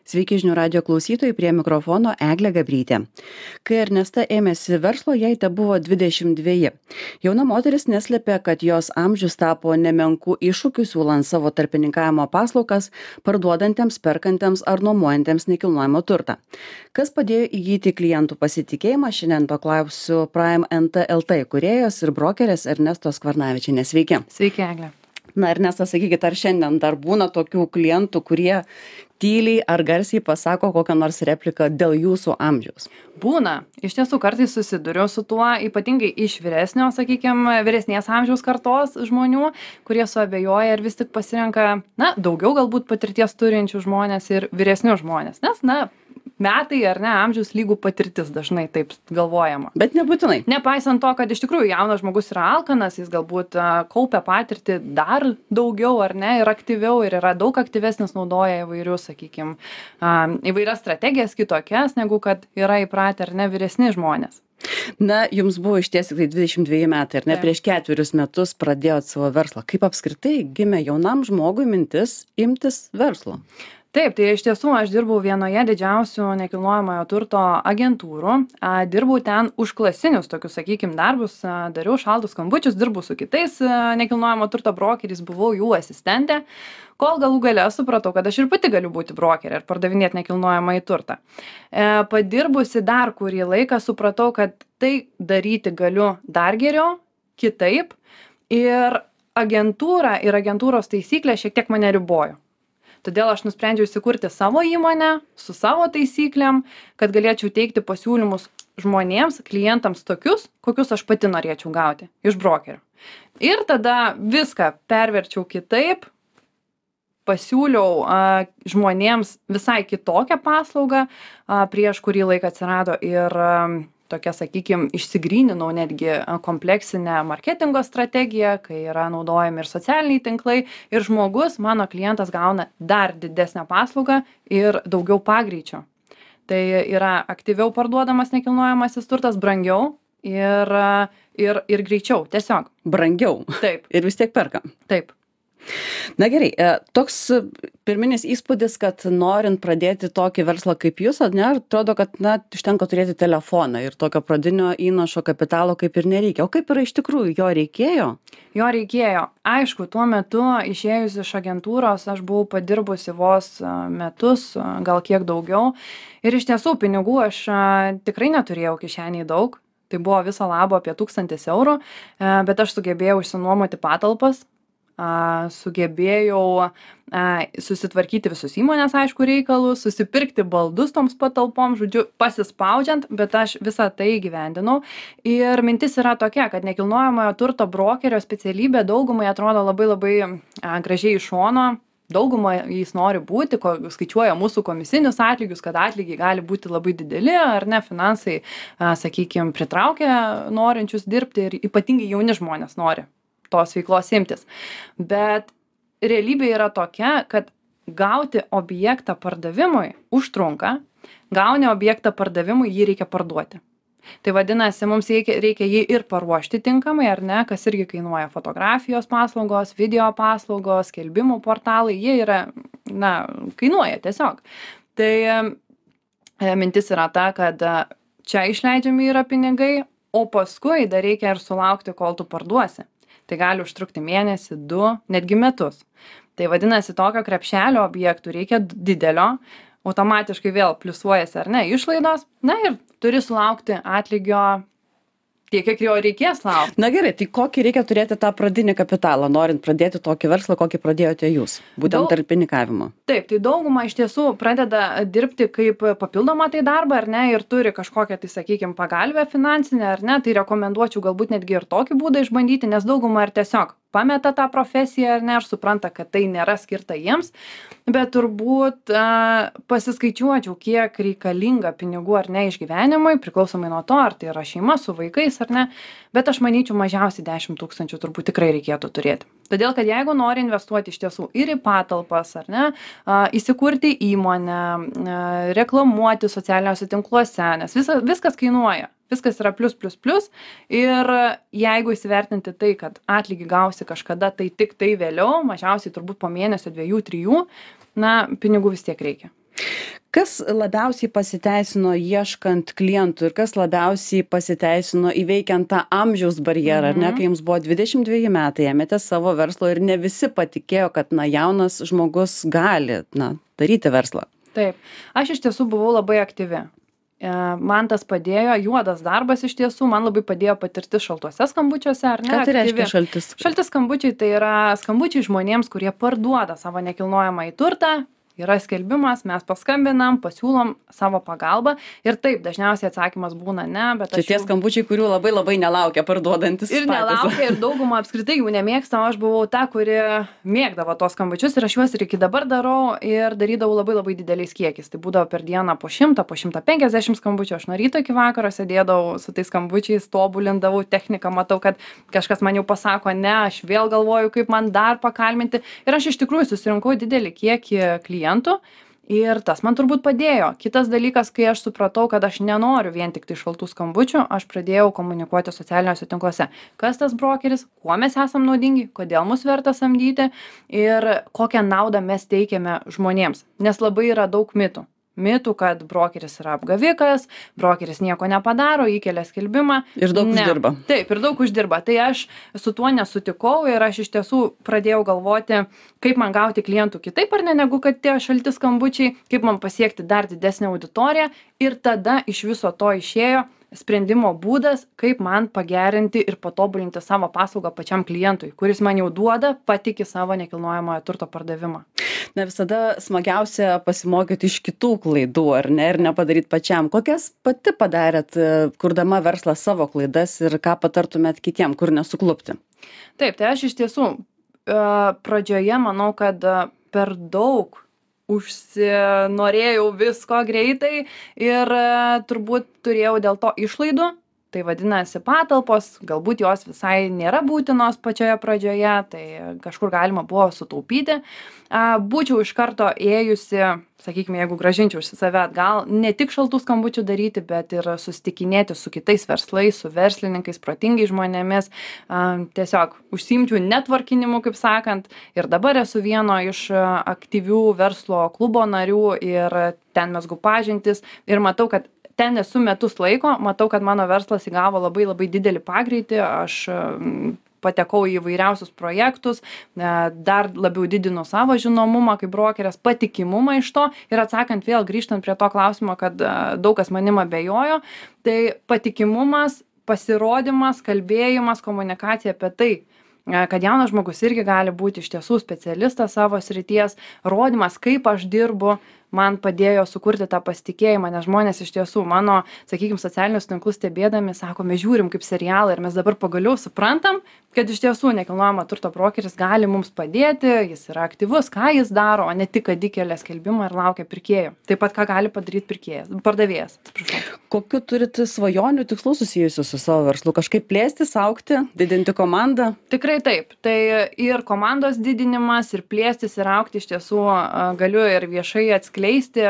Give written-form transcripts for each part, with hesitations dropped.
Sveiki žinių radio klausytojai, prie mikrofono Eglė Gabrytė. Kai Ernesta ėmėsi verslo, jai tebuvo 22. Jauna moteris neslėpė, kad jos amžius tapo nemenkų iššūkių siūlant savo tarpininkavimo paslaugas parduodantiems, perkantiems ar nuomojantiems nekilnojamą turtą. Kas padėjo įgyti klientų pasitikėjimą, šiandien to klausiu Prime NT LT įkūrėjos ir brokerės Ernestos Kvarnavičienės. Sveiki. Sveiki, Eglė. Na, Ernesta, sakykit, ar šiandien dar būna tokių klientų, kurie tyliai ar garsiai pasako kokią nors repliką dėl jūsų amžiaus? Būna. Iš tiesų kartais susiduriu su tuo, ypatingai iš vyresnės amžiaus kartos žmonių, kurie suabejoja ir vis tik pasirenka, daugiau galbūt patirties turinčių žmonės ir vyresnių žmonės. Nes, metai ar ne, amžius lygų patirtis dažnai taip galvojama. Bet nebūtinai. Nepaisant to, kad iš tikrųjų jaunas žmogus yra alkanas, jis galbūt kaupia patirtį dar daugiau ar ne ir aktyviau ir yra daug aktyvesnis, naudoja įvairius, įvairias strategijas kitokias, negu kad yra įpratę ar ne vyresni žmonės. Na, jums buvo išties tik 22 metai, ar ne? Prieš 4 metus pradėjot savo verslą. Kaip apskritai gimė jaunam žmogui mintis imtis verslo? Taip, tai iš tiesų aš dirbau vienoje didžiausių nekilnojamojo turto agentūrų, dirbau ten užklasinius tokius, darbus, dariau šaltus skambučius, dirbau su kitais nekilnojamo turto brokeriais, buvau jų asistentė, kol galų gale supratau, kad aš ir pati galiu būti brokerė ir pardavinėti nekilnojamąjį turtą. Padirbusi dar kurį laiką supratau, kad tai daryti galiu dar geriau, kitaip ir agentūra ir agentūros taisyklė šiek tiek mane ribojo. Todėl aš nusprendžiau įsikurti savo įmonę su savo taisyklėm, kad galėčiau teikti pasiūlymus žmonėms, klientams tokius, kokius aš pati norėčiau gauti iš brokerio. Ir tada viską perverčiau kitaip, pasiūliau žmonėms visai kitokią paslaugą, prieš kurį laiką atsirado ir tokia, išsigryninau netgi kompleksinę marketingo strategiją, kai yra naudojami ir socialiniai tinklai ir žmogus, mano klientas gauna dar didesnę paslaugą ir daugiau pagreičio. Tai yra aktyviau parduodamas nekilnojamasis turtas, brangiau ir greičiau, tiesiog. Brangiau. Taip. Ir vis tiek perka. Taip. Na gerai, toks pirminis įspūdis, kad norint pradėti tokį verslą kaip jūs, atrodo, kad užtenka turėti telefoną ir tokio pradinio įnašo kapitalo kaip ir nereikia. O kaip yra iš tikrųjų, jo reikėjo? Jo reikėjo. Aišku, tuo metu išėjus iš agentūros aš buvau padirbusi vos metus, gal kiek daugiau. Ir iš tiesų pinigų aš tikrai neturėjau kišeniai daug. Tai buvo viso labo apie 1000 eurų, bet aš sugebėjau išsinuomoti patalpas. Sugebėjau susitvarkyti visus įmonės, aišku, reikalus, susipirkti baldus toms patalpom, žodžiu, pasispaudžiant, bet aš visą tai įgyvendinau. Ir mintis yra tokia, kad nekilnojamojo turto brokerio specialybė daugumai atrodo labai gražiai iš šono. Daugumą jis nori būti, skaičiuoja mūsų komisinius atlygius, kad atlygiai gali būti labai dideli, ar ne, finansai, pritraukia norinčius dirbti ir ypatingai jauni žmonės nori tos veiklos imtis. Bet realybė yra tokia, kad gauti objektą pardavimui užtrunka, gauni objektą pardavimui, jį reikia parduoti. Tai vadinasi, mums reikia jį ir paruošti tinkamai, ar ne, kas irgi kainuoja fotografijos paslaugos, video paslaugos, skelbimų portalai, jie yra, kainuoja tiesiog. Tai mintis yra ta, kad čia išleidžiami yra pinigai, o paskui dar reikia ir sulaukti, kol tu parduosi. Tai gali užtrukti mėnesį, 2, netgi metus. Tai vadinasi, tokio krepšelio objektų reikia didelio, automatiškai vėl pliusuojasi ar ne išlaidos, ir turi sulaukti atlygio tiek, kiek jo reikės laukti. Na gerai, tai kokį reikia turėti tą pradinį kapitalą, norint pradėti tokį verslą, kokį pradėjote jūs, būtent tarpininkavimo? Taip, tai dauguma iš tiesų pradeda dirbti kaip papildomą tai darbą, ar ne, ir turi kažkokią, pagalbę finansinę, ar ne, tai rekomenduočiau galbūt netgi ir tokį būdą išbandyti, nes dauguma ir tiesiog pameta tą profesiją, ar ne, ir supranta, kad tai nėra skirta jiems, bet turbūt pasiskaičiuočiau, kiek reikalinga pinigų ar ne išgyvenimui, priklausomai nuo to, ar tai yra šeima su vaikais ar ne, bet aš manyčiau mažiausiai 10 000 turbūt tikrai reikėtų turėti. Todėl, kad jeigu nori investuoti iš tiesų ir į patalpas, ar ne, įsikurti įmonę, reklamuoti socialiniuose tinkluose, nes viskas kainuoja. Viskas yra plius ir jeigu įsivertinti tai, kad atlygį gausi kažkada, tai tik tai vėliau, mažiausiai turbūt po mėnesio, 2, 3, pinigų vis tiek reikia. Kas labiausiai pasiteisino ieškant klientų ir kas labiausiai pasiteisino įveikiant tą amžiaus barjerą, ar ne, kai jums buvo 22 metai, ėmėtės savo verslo ir ne visi patikėjo, kad jaunas žmogus gali daryti verslą? Taip, aš iš tiesų buvau labai aktyvi. Man tas padėjo, juodas darbas iš tiesų, man labai padėjo patirtis šaltuose skambučiuose, ar ne? Ką tai reiškia šaltis? Šalti skambučiai tai yra skambučiai žmonėms, kurie parduoda savo nekilnojamąjį turtą. Yra skelbimas, mes paskambinam, pasiūlom savo pagalbą ir taip, dažniausiai atsakymas būna ne, bet čia tie skambučiai, kurių labai labai nelaukia parduodantis. Ir nelaukia, ir daugumą apskritai jų nemėgsta, aš buvau ta, kuri mėgdavo tos skambučius ir aš juos ir iki dabar darau ir darydavau labai labai dideliais kiekiais. Tai būdavo per dieną po 100, po 150 skambučių, aš nuo ryto iki vakaro sėdėdavau su tais skambučiais, tobulindavau techniką, matau, kad kažkas man jau pasako ne, aš vėl galvoju, kaip man dar pakalbinti ir aš iš tikrųjų susirinkau didelį kiekį klientų. Ir tas man turbūt padėjo. Kitas dalykas, kai aš supratau, kad aš nenoriu vien tik tai šaltų skambučių, aš pradėjau komunikuoti socialiniuose tinkluose. Kas tas brokeris, kuo mes esam naudingi, kodėl mus verta samdyti ir kokią naudą mes teikiame žmonėms. Nes labai yra daug mitų. Mitų, kad brokeris yra apgavikas, brokeris nieko nepadaro, įkelia skelbimą. Ir daug uždirba. Taip, ir daug uždirba. Tai aš su tuo nesutikau ir aš iš tiesų pradėjau galvoti, kaip man gauti klientų kitaip ar ne, negu kad tie šalti skambučiai, kaip man pasiekti dar didesnę auditoriją. Ir tada iš viso to išėjo sprendimo būdas, kaip man pagerinti ir patobulinti savo paslaugą pačiam klientui, kuris man jau duoda, patiki savo nekilnojamojo turto pardavimą. Visada smagiausia pasimokyti iš kitų klaidų, ar ne, ir nepadaryti pačiam. Kokias pati padarėt, kurdama verslą savo klaidas ir ką patartumėt kitiem, kur nesuklupti? Taip, tai aš iš tiesų pradžioje manau, kad per daug užsinorėjau visko greitai ir turbūt turėjau dėl to išlaidų. Tai vadinasi patalpos, galbūt jos visai nėra būtinos pačioje pradžioje, tai kažkur galima buvo sutaupyti. Būčiau iš karto ėjusi, sakykime, jeigu grąžinčiau iš save atgal, ne tik šaltų skambučių daryti, bet ir susitikinėti su kitais verslais, su verslininkais, protingai žmonėmis, tiesiog užsiimčiau networkinimu, kaip sakant. Ir dabar esu vieno iš aktyvių verslo klubo narių ir ten mezgu pažintis ir matau, kad ten esu metus laiko, matau, kad mano verslas įgavo labai labai didelį pagreitį, aš patekau į įvairiausius projektus, dar labiau didinu savo žinomumą kaip brokerės, patikimumą iš to ir atsakant vėl grįžtant prie to klausimo, kad daug kas manim abejojo, tai patikimumas, pasirodymas, kalbėjimas, komunikacija apie tai, kad jaunas žmogus irgi gali būti iš tiesų specialistas savo srities, rodymas, kaip aš dirbu, man padėjo sukurti tą pasitikėjimą, nes žmonės iš tiesų mano, sakykime, socialinius tinklus stebėdami, sako, mes žiūrim kaip serialą ir mes dabar pagaliau suprantam, kad iš tiesų nekilnojamo turto brokeris gali mums padėti, jis yra aktyvus, ką jis daro, o ne tik, kad įkelia skelbimą ir laukia pirkėjų. Taip pat, ką gali padaryti pardavėjas. Kokiu turite svajonių tikslų susijusių su savo verslu? Kažkaip plėstis, augti, didinti komandą? Tikrai taip. Tai ir komandos didinimas, ir plėstis, ir augti iš tiesų galiu ir viešai atskleisti.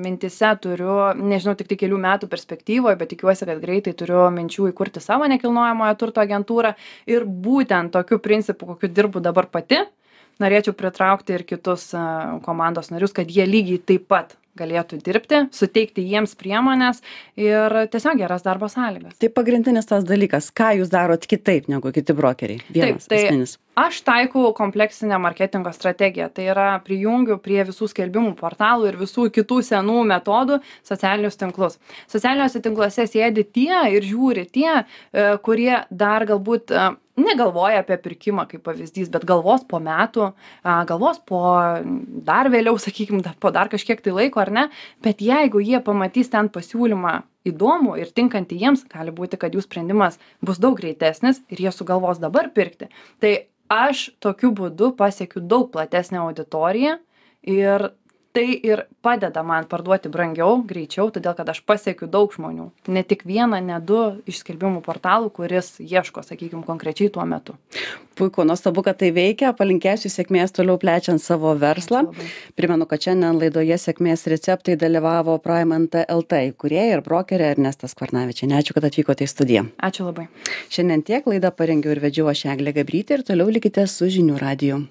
Mintise turiu, nežinau, tik kelių metų perspektyvoje, bet tikiuosi, kad greitai turiu minčių įkurti savo nekilnojamojo turto agentūrą ir būtent tokiu principu, kokiu dirbu dabar pati, norėčiau pritraukti ir kitus komandos narius, kad jie lygiai taip pat galėtų dirbti, suteikti jiems priemonės ir tiesiog geras darbo sąlygas. Tai pagrindinis tas dalykas, ką jūs darot kitaip negu kiti brokeriai? Vienas esminis. Aš taikau kompleksinę marketingo strategiją, tai yra prijungiu prie visų skelbimų portalų ir visų kitų senų metodų socialinius tinklus. Socialiniuose tinkluose sėdi tie ir žiūri tie, kurie dar galbūt negalvoja apie pirkimą kaip pavyzdys, bet galvos po metų, galvos po dar vėliau, sakykime, po dar kažkiek tai laiko ar ne, bet jeigu jie pamatys ten pasiūlymą įdomų ir tinkantį jiems, gali būti, kad jų sprendimas bus daug greitesnis ir jie sugalvos dabar pirkti. Tai aš tokiu būdu pasiekiu daug platesnę auditoriją ir tai ir padeda man parduoti brangiau, greičiau, todėl kad aš pasiekiu daug žmonių. Ne tik vieną, ne du iš skelbimų portalų, kuris ieško, sakykime, konkrečiai tuo metu. Puiku, nuostabu, kad tai veikia. Palinkėsiu sėkmės toliau plečiant savo verslą. Primenu, kad šiandien laidoje sėkmės receptai dalyvavo Praimanta LT įkūrėja ir brokerė Ernesta Skvarnavičienė. Ačiū, kad atvykote į studiją. Ačiū labai. Šiandien tiek, laidą parengiau ir vedžiau aš Eglė Gabrytė ir toliau likite su Žinių radiju.